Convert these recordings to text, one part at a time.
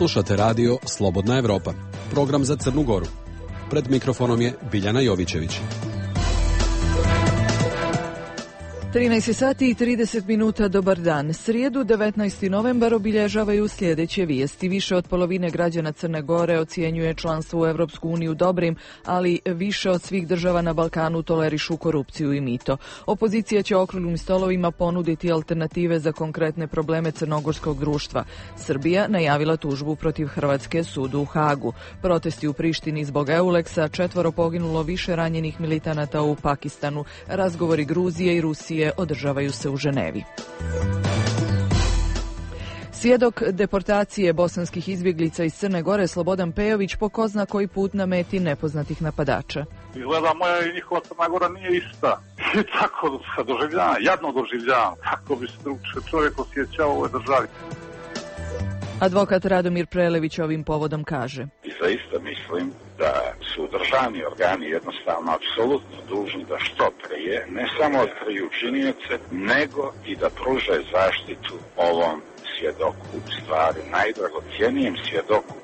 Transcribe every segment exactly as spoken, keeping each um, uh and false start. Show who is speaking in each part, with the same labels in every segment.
Speaker 1: Slušate radio Slobodna Evropa, program za Crnu Goru. Pred mikrofonom je Biljana Jovićević.
Speaker 2: trinaest sati i trideset minuta, dobar dan. Srijedu, devetnaesti novembar, obilježavaju sljedeće vijesti. Više od polovine građana Crne Gore ocjenjuje članstvo u Evropsku uniju dobrim, ali više od svih država na Balkanu tolerišu korupciju i mito. Opozicija će okruglim stolovima ponuditi alternative za konkretne probleme crnogorskog društva. Srbija najavila tužbu protiv Hrvatske sudu u Hagu. Protesti u Prištini zbog Euleksa, četvoro poginulo, više ranjenih militanata u Pakistanu. Razgovori Gruzije i Rusije održavaju se u Ženevi. Svjedok deportacije bosanskih izbjeglica iz Crne Gore Slobodan Pejović po ko zna koji put na meti nepoznatih napadača.
Speaker 3: Izgleda moja i njihova Crna Gora nije ista. I tako se doživljavam, jadno doživljavam. Kako bi se drugčije čovjek osjećao u ovoj državi.
Speaker 2: Advokat Radomir Prelević ovim povodom kaže:
Speaker 4: I zaista mislim da su državni organi jednostavno apsolutno dužni da što prije ne samo otkriju činjenice, nego i da pruže zaštitu ovom svjedoku, u stvari najdragocjenijem svjedoku.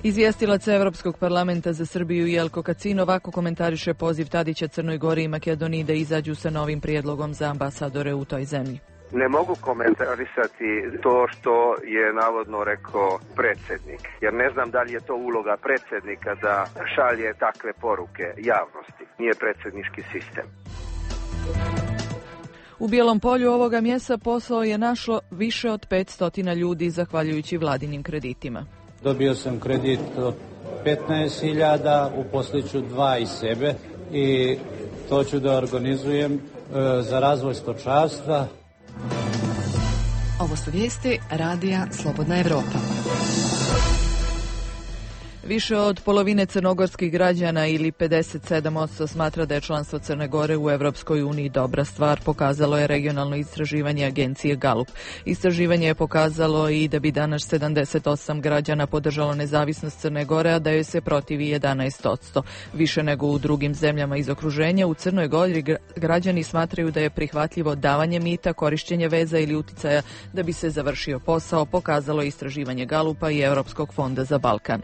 Speaker 2: Izvjestilac Evropskog parlamenta za Srbiju Jelko Kacin ovako komentariše poziv Tadića Crnoj Gori i Makedoniji da izađu sa novim prijedlogom za ambasadore u toj zemlji.
Speaker 5: Ne mogu komentarisati to što je navodno rekao predsjednik, jer ne znam da li je to uloga predsjednika da šalje takve poruke javnosti. Nije predsjednički sistem.
Speaker 2: U Bijelom Polju ovoga mjesta posao je našlo više od petsto ljudi zahvaljujući vladinim kreditima.
Speaker 6: Dobio sam kredit od petnaest hiljada, uposliću dva iz sebe i to ću da organizujem e, za razvoj stočarstva.
Speaker 7: Ovo su vijesti radija Slobodna Evropa.
Speaker 2: Više od polovine crnogorskih građana ili pedeset sedam posto smatra da je članstvo Crne Gore u Evropskoj uniji dobra stvar, pokazalo je regionalno istraživanje agencije Galup. Istraživanje je pokazalo i da bi danas sedamdeset osam građana podržalo nezavisnost Crne Gore, a da joj se protivi jedanaest posto. Više nego u drugim zemljama iz okruženja, u Crnoj Gori građani smatraju da je prihvatljivo davanje mita, korišćenje veza ili uticaja da bi se završio posao, pokazalo je istraživanje Galupa i Europskog fonda za Balkan.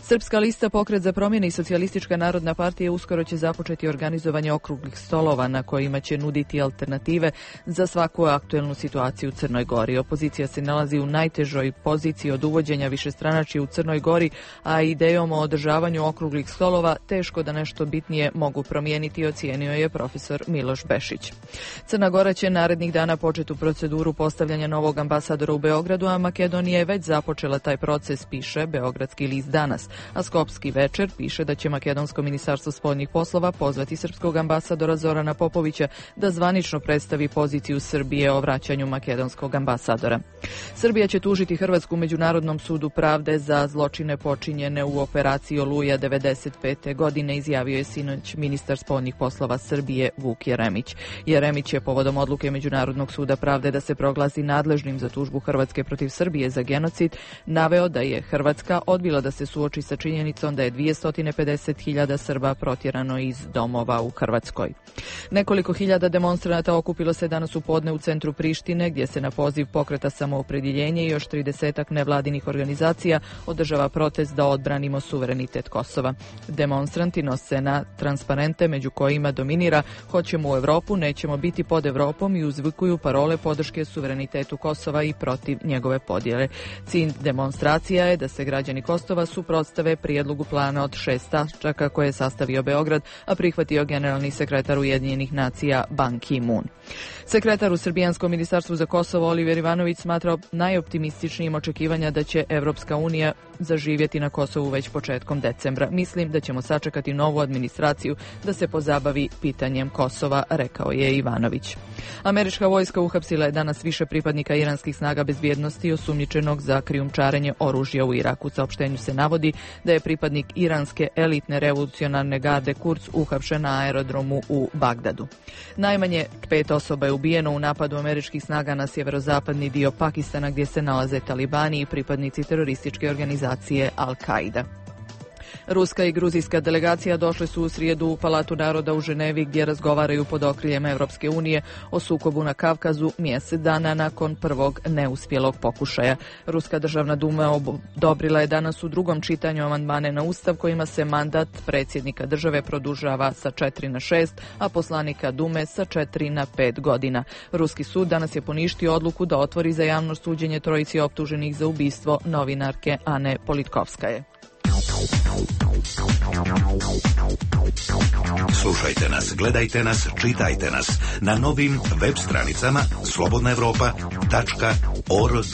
Speaker 2: Srpska lista, Pokret za promjene i Socijalistička narodna partija uskoro će započeti organizovanje okruglih stolova na kojima će nuditi alternative za svaku aktuelnu situaciju u Crnoj Gori. Opozicija se nalazi u najtežoj poziciji od uvođenja višestranačja u Crnoj Gori, a idejom o održavanju okruglih stolova teško da nešto bitnije mogu promijeniti, ocijenio je profesor Miloš Bešić. Crna Gora će narednih dana početi u proceduru postavljanja novog ambasadora u Beogradu, a Makedonija je već započela taj proces, piše Beogradski list danas. A Skopski večer piše da će Makedonsko ministarstvo spoljnih poslova pozvati srpskog ambasadora Zorana Popovića da zvanično predstavi poziciju Srbije o vraćanju makedonskog ambasadora. Srbija će tužiti Hrvatsku u Međunarodnom sudu pravde za zločine počinjene u operaciji Oluja devedeset pete godine, izjavio je sinoć ministar spoljnih poslova Srbije Vuk Jeremić. Jeremić je povodom odluke Međunarodnog suda pravde da se proglasi nadležnim za tužbu Hrvatske protiv Srbije za genocid naveo da je Hrvatska odbila da se suoči sa činjenicom da je dvjesto pedeset hiljada Srba protjerano iz domova u Hrvatskoj. Nekoliko hiljada demonstranata okupilo se danas u podne u centru Prištine, gdje se na poziv Pokreta Samoopredjeljenje i još tridesetak nevladinih organizacija održava protest da odbranimo suverenitet Kosova. Demonstranti nose na transparente među kojima dominira "Hoćemo u Europu, nećemo biti pod Europom" i uzvikuju parole podrške suverenitetu Kosova i protiv njegove podjele. Cilj demonstracija je da se građani Kosova suprotstave prijedlogu plana od šest tačaka koje je sastavio Beograd, a prihvatio generalni sekretar Ujedinjenih nacija Ban Ki-moon. Sekretar u Srbijanskom ministarstvu za Kosovo Oliver Ivanović smatrao najoptimističnijim očekivanja da će Evropska unija zaživjeti na Kosovu već početkom decembra. Mislim da ćemo sačekati novu administraciju da se pozabavi pitanjem Kosova, rekao je Ivanović. Američka vojska uhapsila je danas više pripadnika iranskih snaga bezbjednosti osumnjičenog za krijumčarenje oružja u Iraku. U saopštenju se navodi da je pripadnik iranske elitne revolucionarne garde Kurz uhapšen na aerodromu u Bagdadu. Najmanje pet osoba je ubijeno u napadu američkih snaga na sjeverozapadni dio Pakistana, gdje se nalaze talibani i pripadnici terorističke organizacije Al-Qaida. Ruska i gruzijska delegacija došle su u srijedu u Palatu naroda u Ženevi gdje razgovaraju pod okriljem Evropske unije o sukobu na Kavkazu mjesec dana nakon prvog neuspjelog pokušaja. Ruska državna duma odobrila je danas u drugom čitanju amandmane na Ustav kojima se mandat predsjednika države produžava sa četiri na šest, a poslanika Dume sa četiri na pet godina. Ruski sud danas je poništio odluku da otvori za javno suđenje trojici optuženih za ubistvo novinarke Ane Politkovskaje.
Speaker 8: Slušajte nas, gledajte nas, čitajte nas na novim web stranicama slobodna evropa tačka org.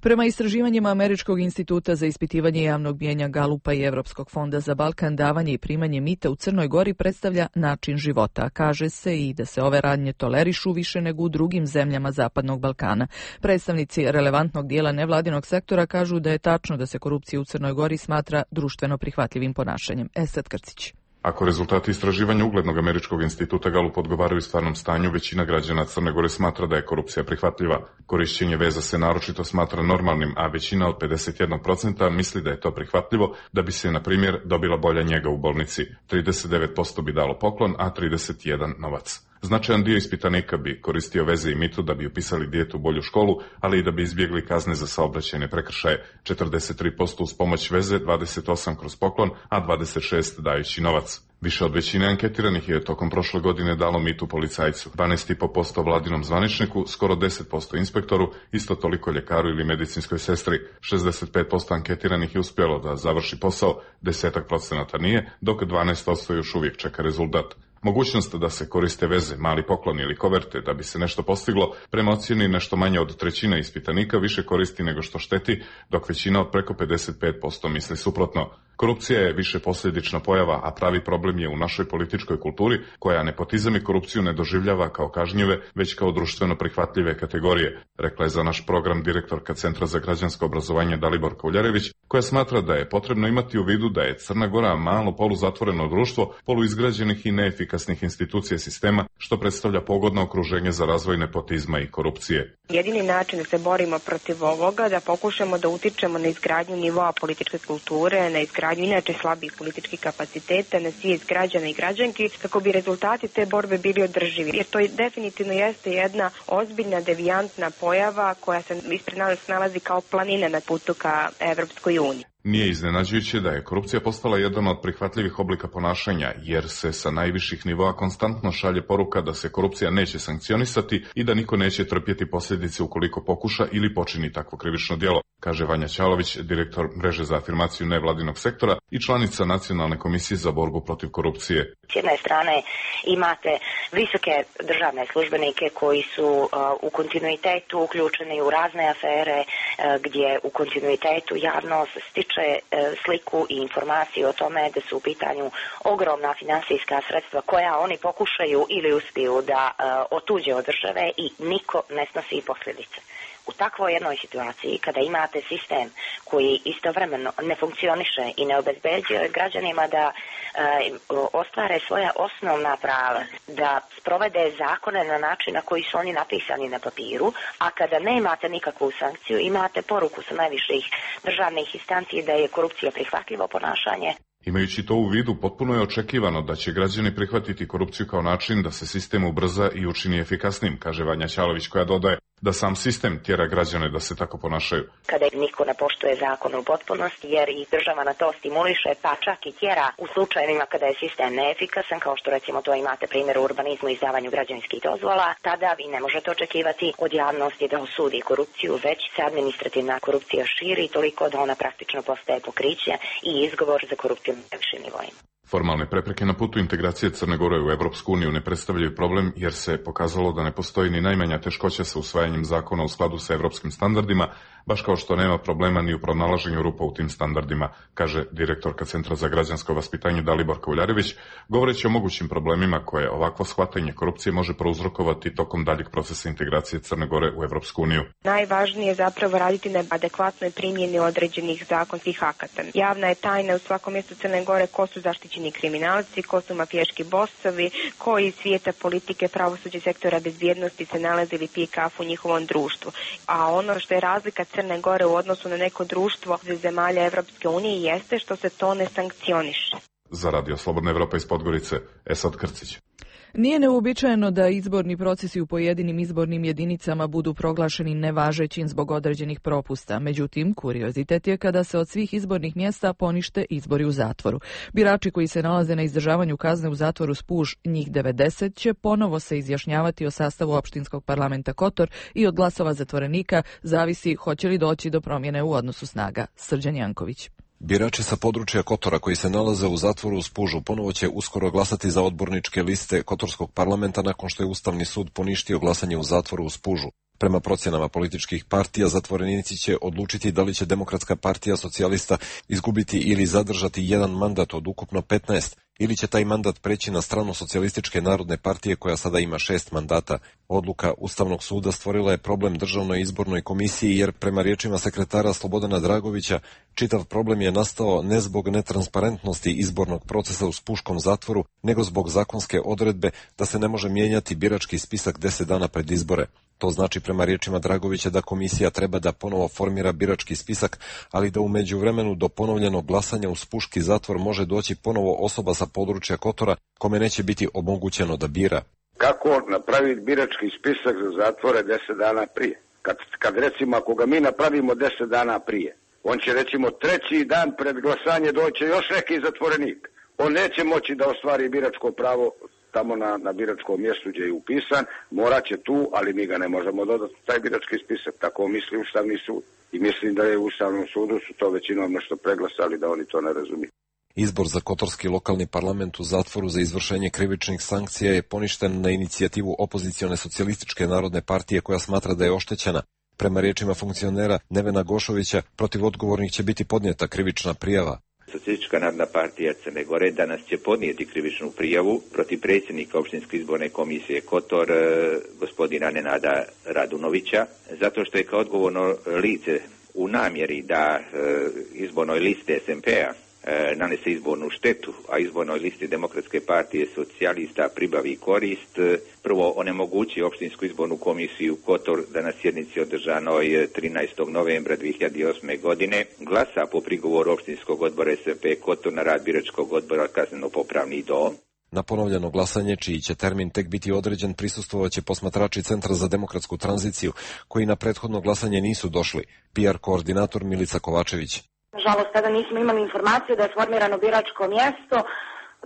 Speaker 2: Prema istraživanjima Američkog instituta za ispitivanje javnog mnijenja Galupa i Evropskog fonda za Balkan, davanje i primanje mita u Crnoj Gori predstavlja način života. Kaže se i da se ove radnje tolerišu više nego u drugim zemljama Zapadnog Balkana. Predstavnici relevantnog dijela nevladinog sektora kažu da je tačno da se korupcija u Crnoj Gori smatra društveno prihvatljivim ponašanjem. Esad Krcić.
Speaker 9: Ako rezultati istraživanja uglednog Američkog instituta Galup odgovaraju stvarnom stanju, većina građana Crne Gore smatra da je korupcija prihvatljiva. Korišćenje veza se naročito smatra normalnim, a većina od pedeset jedan posto misli da je to prihvatljivo da bi se, na primjer, dobila bolja njega u bolnici. trideset devet posto bi dalo poklon, a trideset jedan novac. Značajan dio ispitanika bi koristio veze i mitu da bi upisali dijete u bolju školu, ali i da bi izbjegli kazne za saobraćajne prekršaje. četrdeset tri posto uz pomoć veze, dvadeset osam kroz poklon, a dvadeset šest dajući novac. Više od većine anketiranih je tokom prošle godine dalo mitu policajcu, dvanaest zarez pet posto vladinom zvaničniku, skoro deset posto inspektoru, isto toliko ljekaru ili medicinskoj sestri. šezdeset pet posto anketiranih je uspjelo da završi posao, deset procenata nije, dok dvanaest posto još uvijek čeka rezultat. Mogućnost da se koriste veze, mali poklon ili koverte da bi se nešto postiglo, prema ocjeni nešto manje od trećine ispitanika više koristi nego što šteti, dok većina od preko pedeset pet posto misli suprotno. Korupcija je više posljedična pojava, a pravi problem je u našoj političkoj kulturi, koja nepotizam i korupciju ne doživljava kao kažnjive, već kao društveno prihvatljive kategorije, rekla je za naš program direktorka Centra za građansko obrazovanje Dalibor Kauljarević, koja smatra da je potrebno imati u vidu da je Crna Gora malo poluzatvoreno društvo, poluizgrađenih i neefikasnih institucija sistema, što predstavlja pogodno okruženje za razvoj nepotizma i korupcije.
Speaker 10: Jedini način da se borimo protiv ovoga, da pokušamo da utičemo na izgradnju nivoa političke kulture, na izgradnju inače slabih političkih kapaciteta, na svijest građana i građanki, kako bi rezultati te borbe bili održivi. Jer to definitivno jeste jedna ozbiljna devijantna pojava koja se ispred nas nalazi kao planina na putu ka Evropskoj uniji.
Speaker 9: Nije iznenađujuće da je korupcija postala jedan od prihvatljivih oblika ponašanja, jer se sa najviših nivoa konstantno šalje poruka da se korupcija neće sankcionisati i da niko neće trpjeti posljedice ukoliko pokuša ili počini takvo krivično djelo, kaže Vanja Ćalović, direktor mreže za afirmaciju nevladinog sektora i članica Nacionalne komisije za borbu protiv korupcije.
Speaker 11: S jedne strane imate visoke državne službenike koji su uh, u kontinuitetu uključeni u razne afere uh, gdje u kontinuitetu javnost stiče uh, sliku i informaciju o tome da su u pitanju ogromna financijska sredstva koja oni pokušaju ili uspiju da uh, otuđe od države i niko ne snosi posljedice. U takvoj jednoj situaciji, kada imate sistem koji istovremeno ne funkcioniše i ne obezbeđuje građanima da e, ostvare svoja osnovna prava, da sprovede zakone na način na koji su oni napisani na papiru, a kada ne imate nikakvu sankciju, imate poruku sa najviših državnih instanci da je korupcija prihvatljivo ponašanje.
Speaker 9: Imajući to u vidu, potpuno je očekivano da će građani prihvatiti korupciju kao način da se sistem ubrza i učini efikasnim, kaže Vanja Ćalović, koja dodaje da sam sistem tjera građane da se tako ponašaju.
Speaker 11: Kada niko ne poštuje zakon u potpunosti, jer i država na to stimuliše, pa čak i tjera u slučajevima kada je sistem neefikasan, kao što recimo to imate primjer u urbanizmu i izdavanju građevinskih dozvola, tada vi ne možete očekivati od javnosti da osudi korupciju, već se administrativna korupcija širi toliko da ona praktično postaje pokriće i izgovor za korupciju na najvišim nivoima.
Speaker 9: Formalne prepreke na putu integracije Crne Gore u Evropsku uniju ne predstavljaju problem, jer se pokazalo da ne postoji ni najmanja teškoća sa usvajanjem zakona u skladu sa evropskim standardima, baš kao što nema problema ni u pronalaženju rupa u tim standardima, kaže direktorka Centra za građansko vaspitanje Dalibor Kauljarević, govoreći o mogućim problemima koje ovakvo shvatanje korupcije može prouzrokovati tokom daljeg procesa integracije Crne Gore u Evropsku uniju.
Speaker 10: Najvažnije je zapravo raditi na adekvatnoj primjeni određenih zakonskih akata. Javna je tajna u svakom mjestu Crne Gore ko su zaštićeni osumnjičeni kriminalci, ko su mafijaški bosovi, koji iz svijeta politike, pravosuđa i sektora bezbjednosti se nalaze ili pije kafu u njihovom društvu. A ono što je razlika Crne Gore u odnosu na neko društvo zemalja Evropske unije jeste što se to ne sankcioniše.
Speaker 9: Za Radio Slobodna Evropa iz Podgorice, Esad Krcić.
Speaker 2: Nije neuobičajeno da izborni procesi u pojedinim izbornim jedinicama budu proglašeni nevažećim zbog određenih propusta. Međutim, kuriozitet je kada se od svih izbornih mjesta ponište izbori u zatvoru. Birači koji se nalaze na izdržavanju kazne u zatvoru Spuž, njih devedeset, će ponovo se izjašnjavati o sastavu opštinskog parlamenta Kotor i od glasova zatvorenika zavisi hoće li doći do promjene u odnosu snaga. Srđan Janković.
Speaker 12: Birači sa područja Kotora koji se nalaze u zatvoru u Spužu ponovo će uskoro glasati za odborničke liste Kotorskog parlamenta nakon što je Ustavni sud poništio glasanje u zatvoru u Spužu. Prema procjenama političkih partija, zatvorenici će odlučiti da li će Demokratska partija socijalista izgubiti ili zadržati jedan mandat od ukupno petnaest, ili će taj mandat preći na stranu Socijalističke narodne partije koja sada ima šest mandata. Odluka Ustavnog suda stvorila je problem Državnoj izbornoj komisiji jer prema riječima sekretara Slobodana Dragovića čitav problem je nastao ne zbog netransparentnosti izbornog procesa u Spuškom zatvoru, nego zbog zakonske odredbe da se ne može mijenjati birački spisak deset dana pred izbore. To znači prema riječima Dragovića da komisija treba da ponovo formira birački spisak, ali da u međuvremenu do ponovljenog glasanja u Spuški zatvor može doći ponovo osoba sa područja Kotora kome neće biti omogućeno da bira.
Speaker 4: Kako napraviti birački spisak za zatvore deset dana prije? Kad, kad recimo ako ga mi napravimo deset dana prije, on će recimo treći dan pred glasanje doći još neki zatvorenik. On neće moći da ostvari biračko pravo tamo na, na biračkom mjestu gdje je upisan, morat će tu, ali mi ga ne možemo dodati taj birački spisak, tako misli Ustavni sud. I mislim da je u Ustavnom sudu su to većinom nešto preglasali, da oni to ne razumiju.
Speaker 12: Izbor za kotorski lokalni parlament u zatvoru za izvršenje krivičnih sankcija je poništen na inicijativu opozicione socijalističke narodne partije koja smatra da je oštećena. Prema riječima funkcionera Nevena Gošovića, protiv odgovornih će biti podnijeta krivična prijava.
Speaker 13: Socijalistička narodna partija Crne Gore danas će podnijeti krivičnu prijavu protiv predsjednika opštinske izborne komisije Kotor, gospodina Nenada Radunovića, zato što je kao odgovorno lice u namjeri da izbornoj listi S M P-a nanese izbornu štetu, a izbornoj listi Demokratske partije socijalista pribavi korist, prvo onemogući opštinsku izbornu komisiju Kotor da na sjednici održanoj trinaestog novembra dvije hiljade osme. godine glasa po prigovoru opštinskog odbora S M P Kotor na rad biračkog odbora Kazneno-popravni dom.
Speaker 12: Na ponovljeno glasanje, čiji će termin tek biti određen, prisustvovaće posmatrači Centra za demokratsku tranziciju, koji na prethodno glasanje nisu došli. P R koordinator Milica Kovačević.
Speaker 14: Nažalost, tada nismo imali informaciju da je formirano biračko mjesto.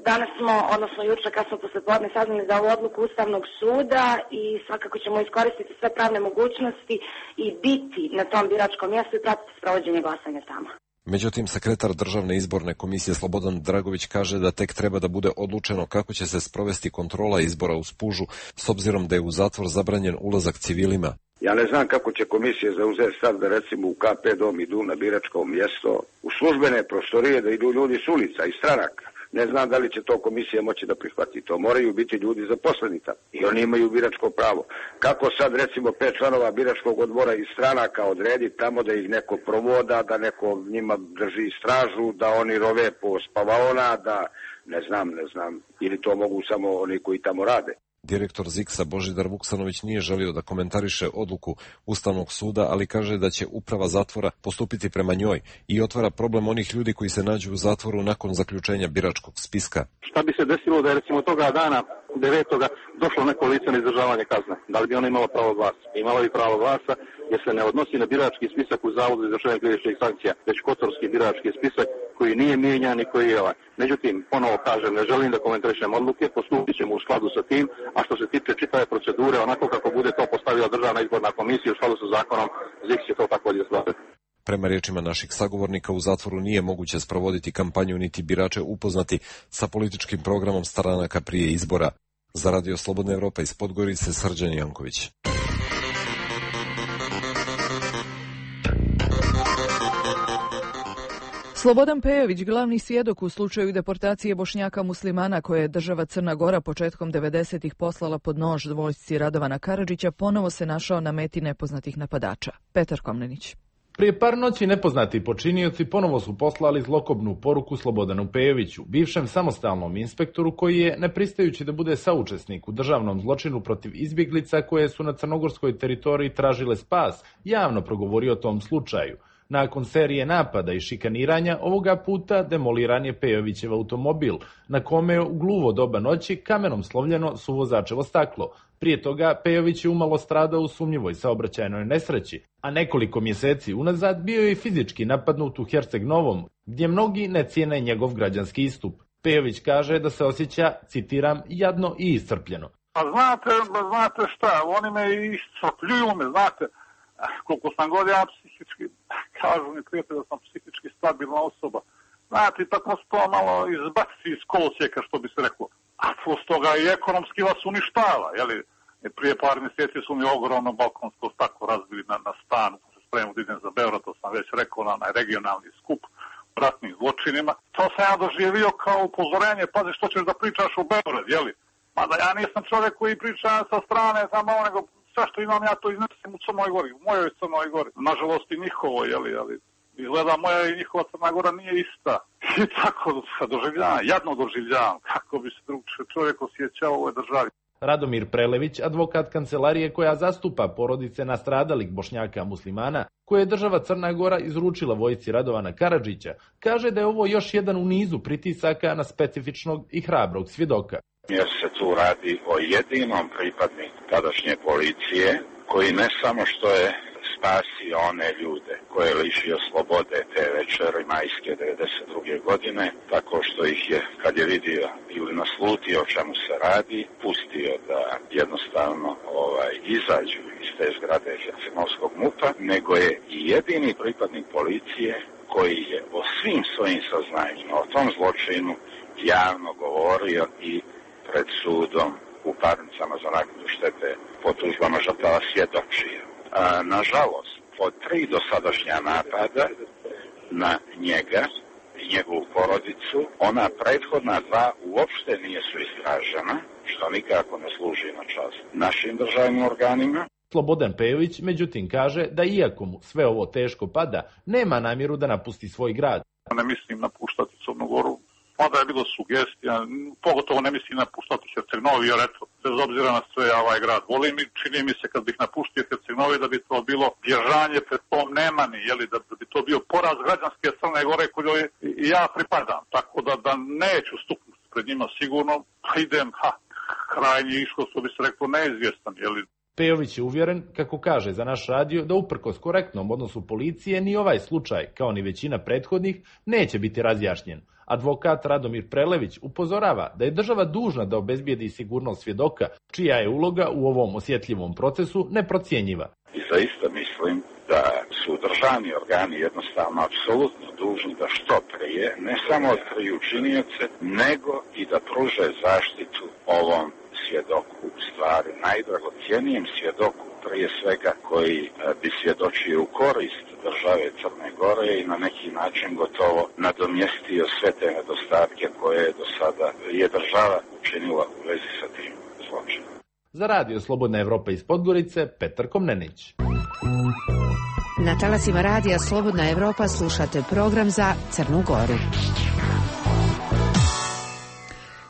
Speaker 14: Danas smo, odnosno jučer kad smo poslijepodne saznali za ovu odluku Ustavnog suda i svakako ćemo iskoristiti sve pravne mogućnosti i biti na tom biračkom mjestu i pratiti sprovođenje glasanja tamo.
Speaker 12: Međutim, sekretar Državne izborne komisije Slobodan Dragović kaže da tek treba da bude odlučeno kako će se sprovesti kontrola izbora u Spužu, s obzirom da je u zatvor zabranjen ulazak civilima.
Speaker 4: Ja ne znam kako će komisija zauzeti stav da recimo u K P dom idu na biračko mjesto, u službene prostorije da idu ljudi s ulica i stranaka. Ne znam da li će to komisija moći da prihvati. To moraju biti ljudi zaposleni tamo i oni imaju biračko pravo. Kako sad recimo pet članova biračkog odbora iz stranaka odredi tamo da ih neko provoda, da neko njima drži stražu, da oni rove po spavaona, da ne znam, ne znam, ili to mogu samo oni koji tamo rade.
Speaker 12: Direktor Ziksa Božidar Vuksanović nije želio da komentariše odluku Ustavnog suda, ali kaže da će uprava zatvora postupiti prema njoj i otvara problem onih ljudi koji se nađu u zatvoru nakon zaključenja biračkog spiska.
Speaker 3: Šta bi se desilo da je recimo toga dana devetoga došlo neko lice na izdržavanje kazne? Da li bi ona imala pravo glasa? Imala bi pravo glasa jer se ne odnosi na birački spisak u Zavodu za izvršenje krivičnih sankcija, već kotorski birački spisak koji nije mijenjan i koji je ovaj. Međutim, ponovo kažem, ne želim da komentarišem odluke, postupit ćemo u skladu sa tim, a što se tiče čitave procedure, onako kako bude to postavila Državna izborna komisija u skladu sa zakonom, Z I K će to također slaviti.
Speaker 12: Prema riječima naših sagovornika, u zatvoru nije moguće sprovoditi kampanju niti birače upoznati sa političkim programom stranaka prije izbora. Za Radio Slobodna Evropa iz Podgorice, Srđan Janković.
Speaker 2: Slobodan Pejović, glavni svjedok u slučaju deportacije Bošnjaka muslimana koje je država Crna Gora početkom devedesetih poslala pod nož vojsci Radovana Karadžića, ponovo se našao na meti nepoznatih napadača. Petar Komnenić.
Speaker 15: Prije par noći nepoznati počinioci ponovo su poslali zlokobnu poruku Slobodanu Pejoviću, bivšem samostalnom inspektoru koji je, ne pristajući da bude saučesnik u državnom zločinu protiv izbjeglica koje su na crnogorskoj teritoriji tražile spas, javno progovorio o tom slučaju. Nakon serije napada i šikaniranja, ovoga puta demoliran je Pejovićev automobil, na kome je u gluvo doba noći kamenom slovljeno suvozačevo staklo. Prije toga Pejović je umalo stradao u sumnjivoj saobraćajnoj nesreći, a nekoliko mjeseci unazad bio je i fizički napadnut u Herceg Novom, gdje mnogi ne cijene njegov građanski istup. Pejović kaže da se osjeća, citiram, jadno i iscrpljeno.
Speaker 16: A znate, znate šta, oni me iscrpljuju me, znate, koliko sam god ja psihički, kažu mi prijatelj da sam psihički stabilna osoba. Znate, tako se to malo izbaci iz kolosijeka, što bi se reklo. A plus toga i ekonomski vas uništava, jeli? Prije par mjeseci su mi ogromno balkonsko staklo razbili na, na stanu, se spremno da idem za Beograd, to sam već rekao, na, na regionalni skup o ratnim zločinima. To sam ja doživio kao upozorenje, pazi što ćeš da pričaš u Beograd, jeli? Mada ja nisam čovjek koji priča sa strane, samo nego sve što imam ja to iznesim u Crnoj Gori, u mojoj Crnoj Gori. Nažalost i njihovo, jeli, ali izgleda moja i njihova Crna Gora nije ista. I tako doživljavam, jadno doživljavam, kako bi se drug čovjek osjećao u ovoj državi.
Speaker 15: Radomir Prelević, advokat kancelarije koja zastupa porodice nastradalih Bošnjaka muslimana, koje je država Crna Gora izručila vojsci Radovana Karadžića, kaže da je ovo još jedan u nizu pritisaka na specifičnog i hrabrog svjedoka.
Speaker 4: Jer se tu radi o jedinom pripadniku tadašnje policije, koji ne samo što je spasio one ljude koje je lišio slobode te večeri majske devedeset druge godine, tako što ih je, kad je vidio ili naslutio o čemu se radi, pustio da jednostavno ovaj, izađu iz te zgrade Herceg-Novskog MUP-a, nego je i jedini pripadnik policije koji je o svim svojim saznanjima o tom zločinu javno govorio i pred sudom u parnicama za naknadu štete po tužbama žrtava svjedočio. A, nažalost, od tri dosadašnja napada na njega i njegovu porodicu, ona prethodna dva uopšte nisu istražena, što nikako ne služi na čast našim državnim organima.
Speaker 15: Slobodan Pejović, međutim, kaže da iako mu sve ovo teško pada, nema namjeru da napusti svoj grad.
Speaker 16: Ne mislim napuštati Crnu Goru, mada je bilo sugestija, pogotovo ne mislim napuštati Herceg Novi, jer eto, bez obzira na sve ja ovaj grad volim i čini mi se kad bih napustio Herceg Novi da bi to bilo bježanje pred tom Nemani, jeli, da, da bi to bio poraz građanske Crne Gore kojoj i ja pripadam, tako da, da neću stupiti pred njima sigurno, pa idem, ha, krajnji ishod, što bi se rekao, neizvjestan, jeli.
Speaker 15: Pejović je uvjeren, kako kaže za naš radio, da uprkos korektnom odnosu policije ni ovaj slučaj, kao ni većina prethodnih, neće biti razjašnjen. Advokat Radomir Prelević upozorava da je država dužna da obezbijedi sigurnost svjedoka, čija je uloga u ovom osjetljivom procesu neprocjenjiva.
Speaker 4: I zaista mislim da su državni organi jednostavno apsolutno dužni da što prije ne samo otkriju činioce, nego i da pruže zaštitu ovom svjedoku, u stvari najdragocjenijem svjedoku, prije svega koji bi svjedočio u korist države Crne Gore i na neki način gotovo nadomjestio sve te nedostatke koje je do sada je država učinila u vezi sa tim zločinom.
Speaker 15: Za radio Slobodna Evropa iz Podgorice, Petar Komnenić.
Speaker 7: Na talasima radija Slobodna Evropa slušate program za Crnu Goru.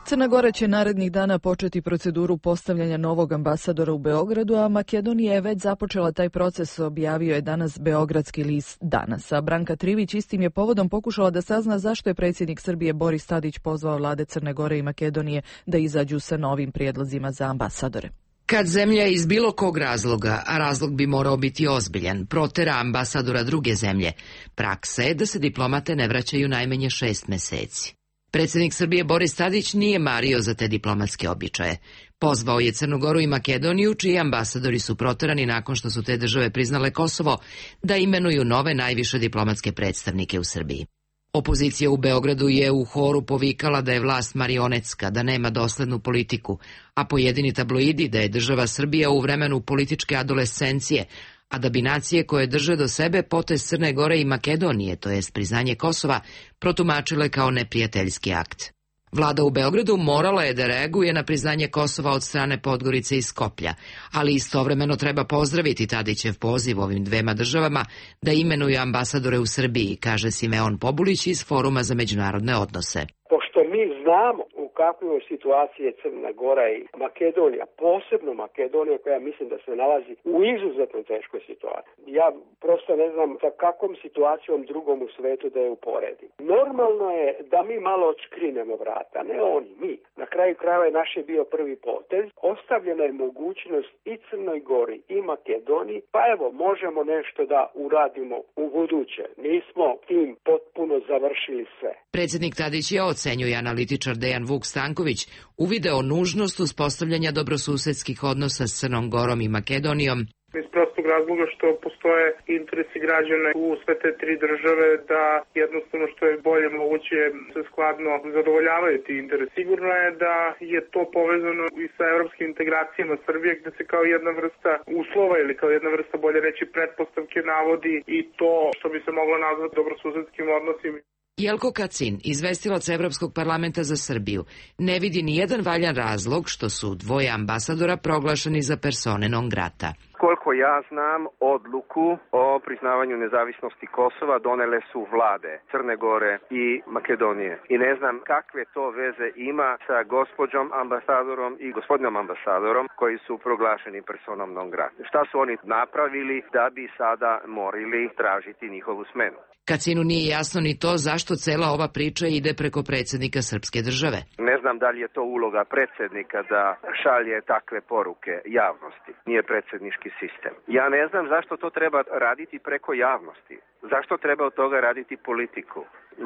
Speaker 2: Crna Gora će narednih dana početi proceduru postavljanja novog ambasadora u Beogradu, a Makedonija je već započela taj proces, objavio je danas beogradski list Danas. A Branka Trivić istim je povodom pokušala da sazna zašto je predsjednik Srbije Boris Tadić pozvao vlade Crne Gore i Makedonije da izađu sa novim prijedlozima za ambasadore.
Speaker 17: Kad zemlja iz bilo kog razloga, a razlog bi morao biti ozbiljan, protera ambasadora druge zemlje, praksa je da se diplomate ne vraćaju najmanje šest meseci. Predsjednik Srbije Boris Tadić nije mario za te diplomatske običaje. Pozvao je Crnu Goru i Makedoniju, čiji ambasadori su proterani nakon što su te države priznale Kosovo, da imenuju nove najviše diplomatske predstavnike u Srbiji. Opozicija u Beogradu je u horu povikala da je vlast marionetska, da nema doslednu politiku, a pojedini tabloidi da je država Srbija u vremenu političke adolescencije, a da bi nacije koje drže do sebe potez Crne Gore i Makedonije, to jest priznanje Kosova, protumačile kao neprijateljski akt. Vlada u Beogradu morala je da reaguje na priznanje Kosova od strane Podgorice i Skoplja, ali istovremeno treba pozdraviti Tadićev poziv ovim dvema državama da imenuju ambasadore u Srbiji, kaže Simeon Pobulić iz Foruma za međunarodne odnose.
Speaker 18: Pošto mi znamo u kakvoj situaciji je Crna Gora i Makedonija, posebno Makedonija koja mislim da se nalazi u izuzetno teškoj situaciji. Ja prosto ne znam sa kakvom situacijom drugom u svetu da je uporedim. Normalno je da mi malo odškrinemo vrata, ne oni, mi. Na kraju krajeva je naš je bio prvi potez. Ostavljena je mogućnost i Crnoj Gori i Makedoniji, pa evo možemo nešto da uradimo u buduće. Nismo tim potpuno završili sve.
Speaker 17: Predsjednik Tadić je, ocenjuje analitičar Dejan Vuk Stanković, uvideo nužnost uspostavljanja dobrosusedskih odnosa s Crnom Gorom i Makedonijom.
Speaker 19: Iz prostog razloga što postoje interesi građana u sve te tri države da jednostavno što je bolje moguće se skladno zadovoljavaju ti interesi. Sigurno je da je to povezano i sa evropskim integracijama Srbije gde se kao jedna vrsta uslova ili kao jedna vrsta, bolje reći, pretpostavke navodi i to što bi se moglo nazvati dobrosusedskim odnosima.
Speaker 17: Jelko Kacin, izvestilac Evropskog parlamenta za Srbiju, ne vidi ni jedan valjan razlog što su dvoje ambasadora proglašeni za persone non grata.
Speaker 5: Koliko ja znam, odluku o priznavanju nezavisnosti Kosova donele su vlade Crne Gore i Makedonije. I ne znam kakve to veze ima sa gospođom ambasadorom i gospodinom ambasadorom koji su proglašeni personom non grata. Šta su oni napravili da bi sada morali tražiti njihovu smenu?
Speaker 17: Kacinu nije jasno ni to zašto cela ova priča ide preko predsjednika srpske države.
Speaker 5: Ne znam da li je to uloga predsjednika da šalje takve poruke javnosti. Nije predsjednički sistem. Ja ne znam zašto to treba raditi preko javnosti. Zašto treba od toga raditi politiku?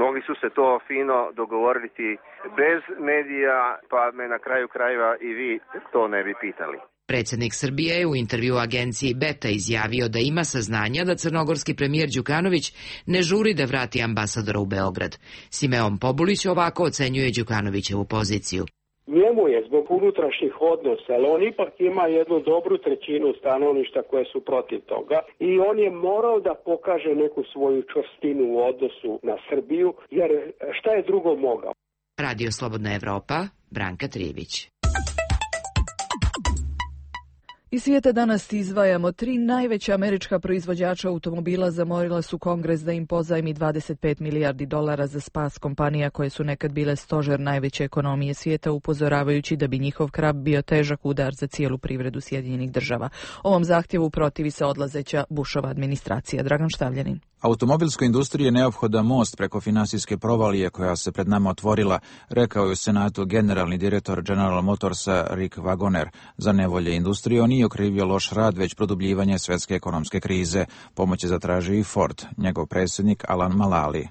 Speaker 5: Mogli su se to fino dogovoriti bez medija, pa me na kraju krajeva i vi to ne bi pitali.
Speaker 17: Predsjednik Srbije je u intervju agenciji Beta izjavio da ima saznanja da crnogorski premijer Đukanović ne žuri da vrati ambasadora u Beograd. Simeon Pobulić ovako ocenjuje Đukanovićevu poziciju.
Speaker 18: Njemu je zbog unutrašnjih odnosa, ali on ipak ima jednu dobru trećinu stanovništva koje su protiv toga i on je morao da pokaže neku svoju čvrstinu u odnosu na Srbiju, jer šta je drugo mogao?
Speaker 17: Radio Slobodna Evropa, Branka Trijević.
Speaker 2: Iz svijeta danas izdvajamo tri najveća američka proizvođača automobila zamolila su Kongres da im pozajmi dvadeset pet milijardi dolara za spas kompanija koje su nekad bile stožer najveće ekonomije svijeta, upozoravajući da bi njihov krah bio težak udar za cijelu privredu Sjedinjenih država. Ovom zahtjevu protivi se odlazeća Bushova administracija. Dragan Štavljanin.
Speaker 20: Automobilskoj industriji je neophodan most preko finansijske provalije koja se pred nama otvorila, rekao je u Senatu generalni direktor General Motorsa Rick Wagoner. Za nevolje industrije on nije okrivio loš rad, već produbljivanje svjetske ekonomske krize. Pomoć je zatražio i Ford, njegov predsjednik Alan Mulally.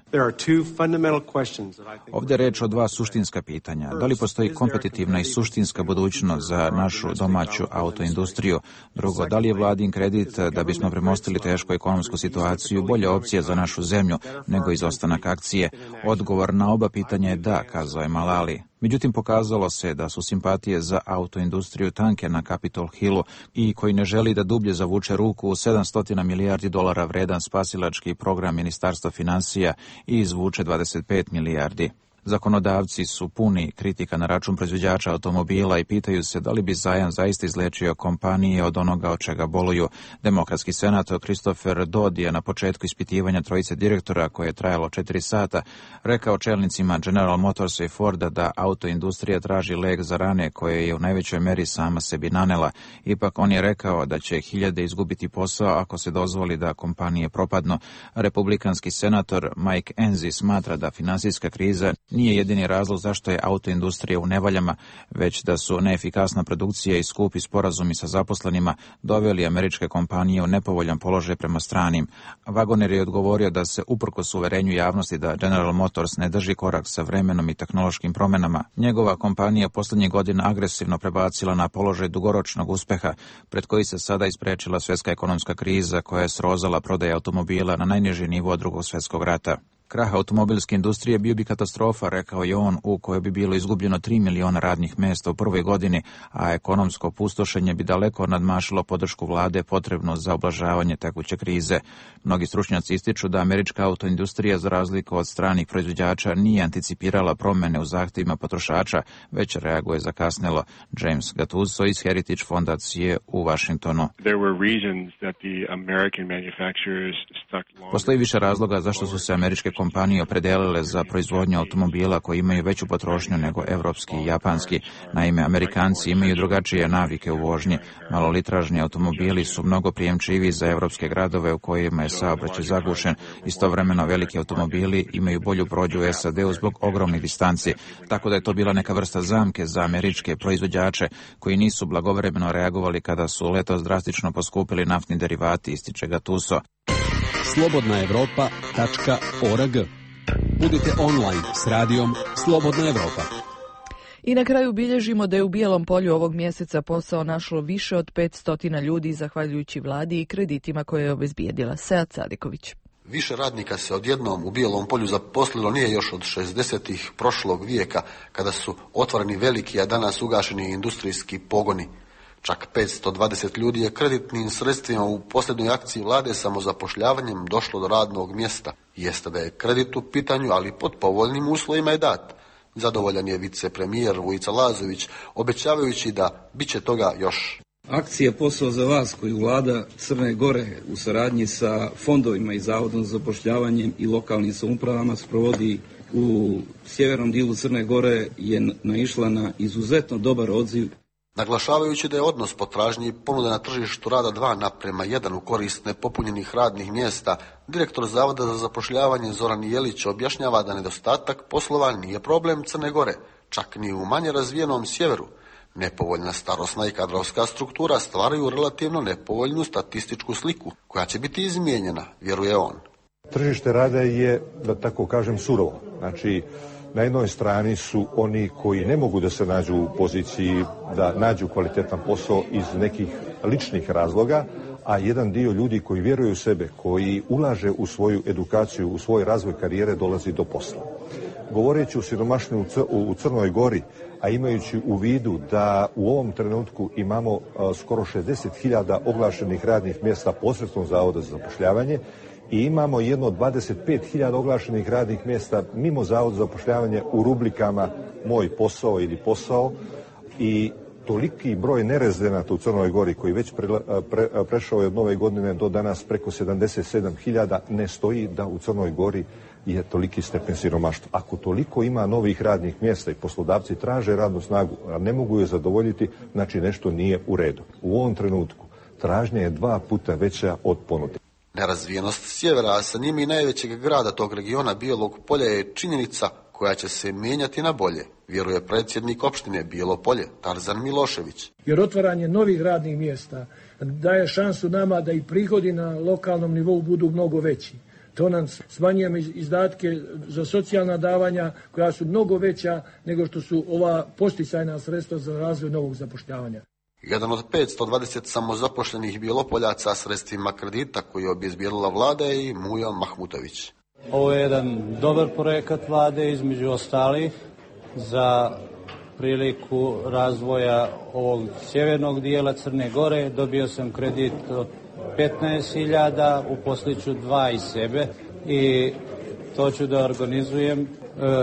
Speaker 20: Ovdje je reč o dva suštinska pitanja. Da li postoji kompetitivna i suštinska budućnost za našu domaću autoindustriju? Drugo, da li je vladin kredit da bismo premostili tešku ekonomsku situaciju bolja opcija za našu zemlju nego izostanak akcije? Odgovor na oba pitanja je da, kazao je Mulally. Međutim, pokazalo se da su simpatije za autoindustriju tanke na Capitol Hillu i koji ne želi da dublje zavuče ruku u sedamsto milijardi dolara vredan spasilački program Ministarstva financija i izvuče dvadeset pet milijardi. Zakonodavci su puni kritika na račun proizvođača automobila i pitaju se da li bi zajam zaista izlečio kompanije od onoga od čega boluju. Demokratski senator Christopher Dodd je na početku ispitivanja trojice direktora, koje je trajalo četiri sata, rekao čelnicima General Motorsa i Forda da autoindustrija traži lek za rane koje je u najvećoj meri sama sebi nanela. Ipak on je rekao da će hiljade izgubiti posao ako se dozvoli da kompanije propadnu. Republikanski senator Mike Enzi smatra da finansijska kriza nije jedini razlog zašto je autoindustrija u nevaljama, već da su neefikasna produkcija i skupi sporazumi sa zaposlenima doveli američke kompanije u nepovoljan položaj prema stranim. Wagoner je odgovorio da se uprkos uverenju javnosti da General Motors ne drži korak sa vremenom i tehnološkim promjenama, njegova kompanija posljednjih godina agresivno prebacila na položaj dugoročnog uspeha, pred koji se sada isprečila svjetska ekonomska kriza koja je srozala prodaje automobila na najniži nivo drugog svjetskog rata. Krah automobilske industrije bio bi katastrofa, rekao je on, u kojoj bi bilo izgubljeno tri miliona radnih mjesta u prvoj godini, a ekonomsko pustošenje bi daleko nadmašilo podršku vlade potrebno za oblažavanje tekuće krize. Mnogi stručnjaci ističu da američka autoindustrija, za razliku od stranih proizvođača, nije anticipirala promjene u zahtjevima potrošača, već reaguje zakasnelo. James Gattuso iz Heritage fondacije u Washingtonu. Postoji više razloga zašto su se američke kompanije opredelile za proizvodnju automobila koji imaju veću potrošnju nego evropski i japanski. Naime, Amerikanci imaju drugačije navike u vožnji. Malolitražni automobili su mnogo prijemčiviji za evropske gradove u kojima je saobraćaj zagušen. Istovremeno veliki automobili imaju bolju prođu u S A D-u zbog ogromnih distanci, tako da je to bila neka vrsta zamke za američke proizvođače koji nisu blagovremeno reagovali kada su letos drastično poskupili naftni derivati, ističe Gattuso.
Speaker 1: slobodna evropa tačka org. Budite online s radijom Slobodna Evropa.
Speaker 2: I na kraju bilježimo da je u Bijelom polju ovog mjeseca posao našlo više od petsto ljudi zahvaljujući vladi i kreditima koje je obezbijedila. Sead Sadiković.
Speaker 21: Više radnika se odjednom u Bijelom polju zaposlilo nije još od šezdesetih prošlog vijeka, kada su otvoreni veliki, a danas ugašeni industrijski pogoni. Čak petsto dvadeset ljudi je kreditnim sredstvima u posljednjoj akciji vlade samozapošljavanjem došlo do radnog mjesta. Jeste da je kredit u pitanju, ali pod povoljnim uslovima je dat. Zadovoljan je vicepremijer Vujica Lazović, obećavajući da bit će toga još.
Speaker 22: Akcija Posao za vas, koju vlada Crne Gore u saradnji sa fondovima i Zavodom za zapošljavanje i lokalnim samoupravama sprovodi u sjevernom dijelu Crne Gore, je naišla na izuzetno dobar odziv.
Speaker 21: Naglašavajući da je odnos potražnje i ponude na tržištu rada dva naprema jedan u korist nepopunjenih radnih mjesta, direktor Zavoda za zapošljavanje Zoran Jelić objašnjava da nedostatak poslova nije problem Crne Gore, čak ni u manje razvijenom sjeveru. Nepovoljna starosna i kadrovska struktura stvaraju relativno nepovoljnu statističku sliku, koja će biti izmijenjena, vjeruje on.
Speaker 23: Tržište rada je, da tako kažem, surovo. Znači, na jednoj strani su oni koji ne mogu da se nađu u poziciji da nađu kvalitetan posao iz nekih ličnih razloga, a jedan dio ljudi koji vjeruju u sebe, koji ulaže u svoju edukaciju, u svoj razvoj karijere, dolazi do posla. Govoreći o siromaštvu u Crnoj Gori, a imajući u vidu da u ovom trenutku imamo skoro šezdeset hiljada oglašenih radnih mjesta posredstvom Zavoda za zapošljavanje, i imamo jedno dvadeset pet hiljada oglašenih radnih mjesta mimo Zavoda za zapošljavanje u rubrikama Moj posao ili posao, i toliki broj nerezidenata u Crnoj Gori koji već pre, pre, prešao je od nove godine do danas preko sedamdeset sedam hiljada, ne stoji da u Crnoj Gori je toliki stepen siromaštva. Ako toliko ima novih radnih mjesta i poslodavci traže radnu snagu, a ne mogu je zadovoljiti, znači nešto nije u redu. U ovom trenutku tražnja je dva puta veća od ponude.
Speaker 21: Nerazvijenost sjevera, a sa njim i najvećeg grada tog regiona Bijelog polja, je činjenica koja će se mijenjati na bolje, vjeruje predsjednik opštine Bijelo Polje, Tarzan Milošević.
Speaker 24: Jer otvaranje novih radnih mjesta daje šansu nama da i prihodi na lokalnom nivou budu mnogo veći. To nam smanjujemo izdatke za socijalna davanja koja su mnogo veća nego što su ova posticajna sredstva za razvoj novog zapošljavanja.
Speaker 21: Jedan od petsto dvadeset samozapošljenih Bjelopoljaca sredstvima kredita koji je obezbijedila vlada je i Mujo Mahmutović.
Speaker 6: Ovo je jedan dobar projekat vlade, između ostalih, za priliku razvoja ovog sjevernog dijela Crne Gore. Dobio sam kredit od petnaest hiljada, uposliću dva iz sebe i to ću da organizujem e,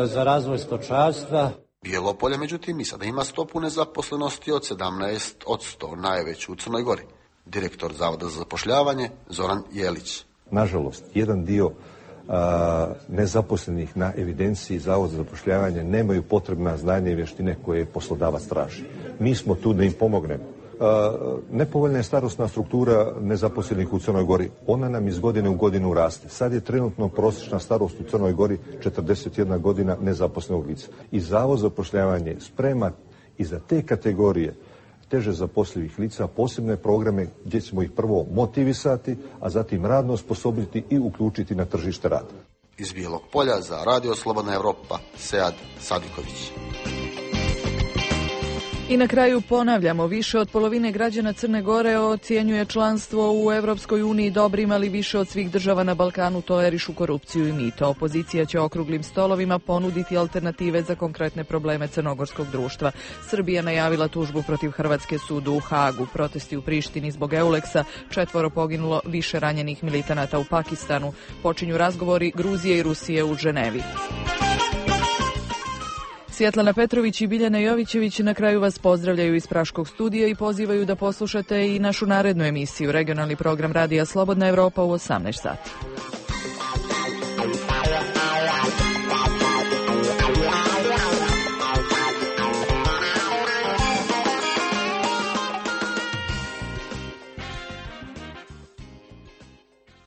Speaker 6: za razvoj stočarstva.
Speaker 21: Bijelopolje, međutim, i sada ima stopu nezaposlenosti od sedamnaest posto, najveću u Crnoj Gori. Direktor Zavoda za zapošljavanje Zoran Jelić.
Speaker 23: Nažalost, jedan dio a, nezaposlenih na evidenciji Zavoda za zapošljavanje nemaju potrebna znanja i vještine koje poslodavac traži. Mi smo tu da im pomognemo. A, nepovoljna je starosna struktura nezaposlenih u Crnoj Gori. Ona nam iz godine u godinu raste. Sad je trenutno prosječna starost u Crnoj Gori četrdeset jedna godina nezaposlenog lica. I Zavod za zapošljavanje sprema i za te kategorije teže zaposlivih lica posebne programe gdje ćemo ih prvo motivisati, a zatim radno osposobiti i uključiti na tržište rada.
Speaker 21: Iz Bijelog Polja za Radio Slobodna Evropa, Sead Sadiković.
Speaker 2: I na kraju ponavljamo, više od polovine građana Crne Gore ocjenjuje članstvo u Evropskoj uniji dobrim, ali više od svih država na Balkanu tolerišu korupciju i mito. Opozicija će okruglim stolovima ponuditi alternative za konkretne probleme crnogorskog društva. Srbija najavila tužbu protiv Hrvatske sudu u Hagu. Protesti u Prištini zbog Euleksa, četvoro poginulo, više ranjenih militanata u Pakistanu. Počinju razgovori Gruzije i Rusije u Ženevi. Svjetlana Petrović i Biljana Jovićević na kraju vas pozdravljaju iz Praškog studija i pozivaju da poslušate i našu narednu emisiju, regionalni program Radija Slobodna Evropa u osamnaest sati.